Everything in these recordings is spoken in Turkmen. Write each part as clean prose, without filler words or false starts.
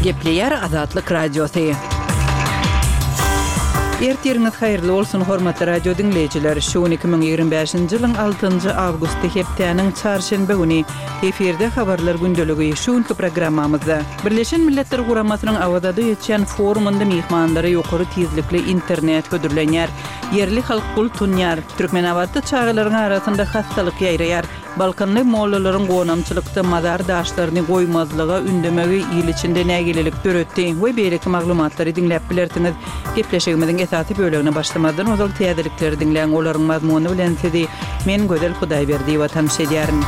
Gepleýär Azatlyk Radiosy. Ertiriňiz haýyrly bolsun, hormatly radio diňleýjiler! Şu gün 2025-nji ýylyň altynjy awgusty hepdäniň çarşenbe güni. Efirde Habarlar gündeligi. Şu günki programmamyzda, Birleşen Milletler Guramasynyň Awazada geçýän forumynda myhmanlara ýokary tizlikli internet hödürlenýär. Ýerli halk gul tunýar. Türkmenabatda çagalaryň arasynda hassalyk ýaýraýar. Balkanly mollalaryň gonamçylykda mazar daşlaryny goýmazlyga ündemegi il içinde nägilelik döretdi we beýleki maglumatlary diňläp bilersiňiz. Gepleşigimiziň esasy bölegine başlamazdan ozal täzelikleri diňläň, olaryň mazmuny bilen sizi men Gözel Hudaýberdiýewa tanyş edýärin.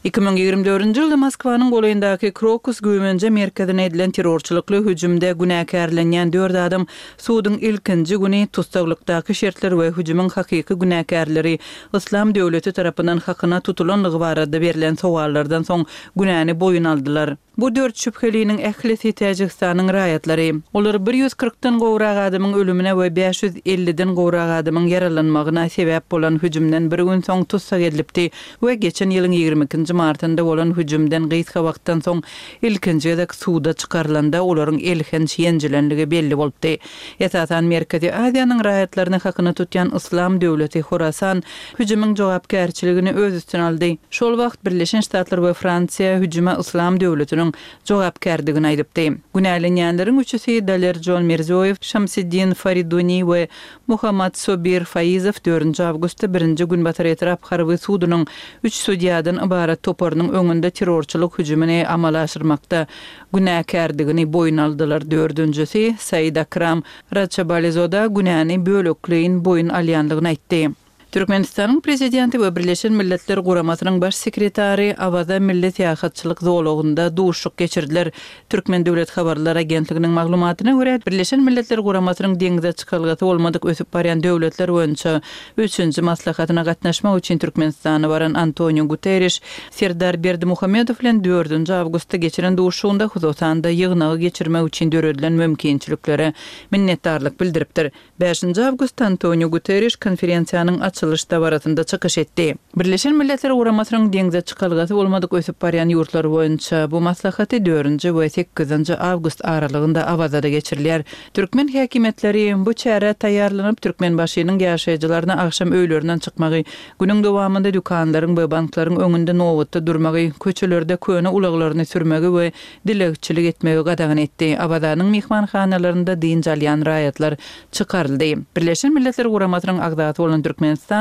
2024-nji ýylda Moskwanyň golaýyndaky Krokus güýmenje merkezine edilen terrorçylykly hüjümde günäkärlenýän dört adam suduň ilkinji güni tussaglykdaky şertler we hüjümiň hakyky günäkärleri Yslam döwleti tarapyndan hakyna tutulanlygy barada berlen sowallardan soň günäni boýun aldylar. Bu dört şübheliniň ählisi Täjigistanyň raýatlary. Olar bir ýüz kyrkdan gowrak adamyň ölümine we bäş ýüz elliden gowrak adamyň ýaralanmagyna sebäp bolan hüjümden bir gün soň tussag edilipdi we geçen ýylyň ýigrimi ikinji martynda bolan hüjümden gysga wagtdan soň ilkinji gezek suda çykarylanda olaryň elhenç ýenjilenligi belli bolupdy. Esasan Merkezi Aziýanyň raýatlaryny hakyna tutýan Yslam döwleti Horasan hüjümiň jogapkärçiligini öz üstüne aldy. Şol wagt Birleşen Ştatlar we Fransiýa hüjüme Yslam döwletiniň jogapkärdigini aýdypdy. Günälenýänleriň üçüsi Dalerjon Mirziýoýew, Şamsiddin Fariduni we Muhammad Sobir Faizow dördünji awgustda Birinji Günbatar etrap harby sudunyň üç sudýadan ybarat toparynyň öňünde terrorçylyk hüjümini amala aşyrmakda günäkärdigini boýun aldylar. Dördünjisi, Said Akram Raçabalizoda günäni bölekleýin boýun alýandygyny aýtdy. Türkmenistanyň Prezidenti we Birleşen Milletler Guramasynyň Baş sekretary Awaza milli syýahatçylyk zolagynda duşuşyk geçirdiler. Türkmen döwlet habarlar agentliginiň maglumatyna görä, Birleşen Milletler Guramasynyň deňze çykalgasy bolmadyk ösüp barýan döwletler boýunça üçünji maslahatyna gatnaşmak üçin Türkmenistana baran Antoniu Guterriş Serdar Berdimuhamedow bilen dördünji awgustda geçiren duşuşygynda hususan-da ýygnagy geçirmek üçin döredilen mümkinçiliklere minnetdarlyk bildiripdir. Bäşinji awgustda Antoniu Guterriş konferensiýanyň açylyş dabarasynda çykyş etdi. Birleşen Milletler Guramasynyň deňze çykalgasy bolmadyk ösüp barýan ýurtlar boýunça bu maslahaty dördünji we sekizinji awgust aralygynda Awazada geçirilýär. Türkmen häkimiýetleri bu çärä taýýarlanyp, Türkmenbaşynyň ýaşaýjylaryna agşam öýlerinden çykmagy, günüň dowamynda dükanlaryň we banklaryň öňünde nobatda durmagy, köçelerde köne ulaglaryny sürmegi we dilegçilik etmegi gadagan etdi. Awazanyň myhmanhanalarynda dynç alýan raýatlar çykaryldy. Birleşen Milletler Guramasynyň agzasy bolan Türkmenistan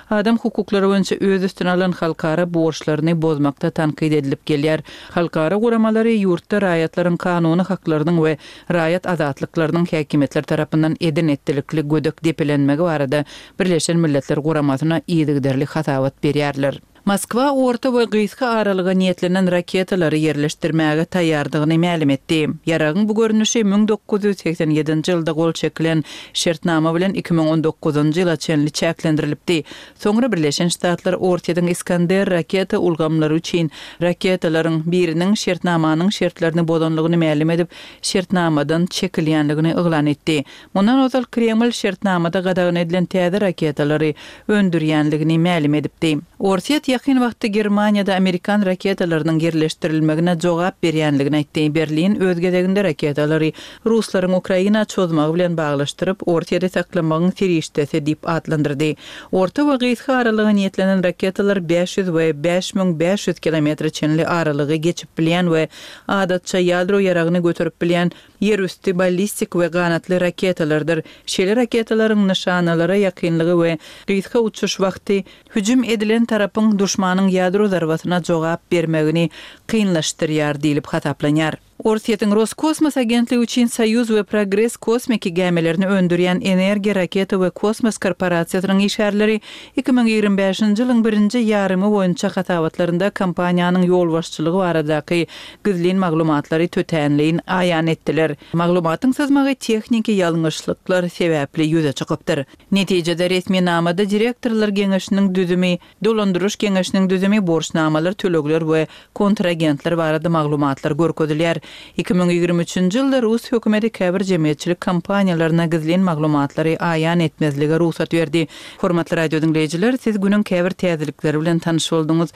adam hukuklary boýunça öz üstüne alan halkara borçlaryny bozmakda tankyt edilip gelýär. Halkara guramalary ýurtda raýatlaryň kanuny haklarynyň we raýat azatlyklarynyň häkimiýetler tarapyndan eden-etdilikli gödek depelenmegi barada Birleşen Milletler Guramasyna yzygiderli hasabat berýärler. Moskwa orta we gysga aralyga niýetlenen raketalary ýerleşdirmäge taýýardygyny mälim etdi. Ýaragyň bu görnüşi 1987-nji ýylda gol çekilen şertnama bilen 2019-njy ýyla çenli çäklendirilipdi. Soňra Birleşen Ştatlar Orsýetiň Iskander raketa ulgamlary üçin raketalaryň biriniň şertnamanyň şertlerini bozanlygyny mälim edip, şertnamadan çekilýänligini yglan etdi. Mundan ozal Kreml şertnamada gadagan edilen täze raketalary öndürýänligini mälim edipdi. Orsýet ýakyn wagtda Germaniýada amerikan raketalarynyň ýerleşdirilmegine jogap berýänligini aýtdy. Berlin öz gezeginde raketalary ruslaryň Ukraina çozmagy bilen baglaşdyryp, Orsýeti saklamagyň serişdesi diýip atlandyrdy. Orta we gysga aralyga niýetlenen raketalar 500 we 5500 kilometre çenli aralygy geçip bilýän we adatça ýadro ýaragyny göterip bilýän ýerüsti ballistik we ganatly raketalardyr. Şeýle raketalaryň nyşanalara ýakynlygy we gysga uçuş wagty hüjüm edilen tarapyň duşmanyň ýadro zarbasyna jogap bermegini kynlaşdyrýar diýlip hasaplanýar. Orsýetiň Roskosmos agentligi üçin Soýuz we Progress kosmiki gämilerini öndürýän Energiýa raketa we kosmos korporasiýasynyň işgärleri 2025-nji ýylyň birinji ýarymy boýunça hasabatlarynda kompaniýanyň ýolbaşçylygy baradaky gizlin maglumatlary tötänleýin aýan etdiler. Maglumatyň syzmagy tehniki ýalňyşlyklar sebäpli ýüze çykypdyr. Netijede resminamada direktorlar geňeşiniň düzümi, dolandyryş geňeşiniň düzümi, borçnamalar, tölegler we kontragentler barada maglumatlar görkezilýär. 2023-nji ýylda rus hökümeti käbir jemgyýetçilik kompaniýalaryna gizlin maglumatlary aýan etmezlige rugsat berdi. Hormatly radiodiňleýjiler, siz günüň käbir täzelikleri bilen tanyş bolduňyz.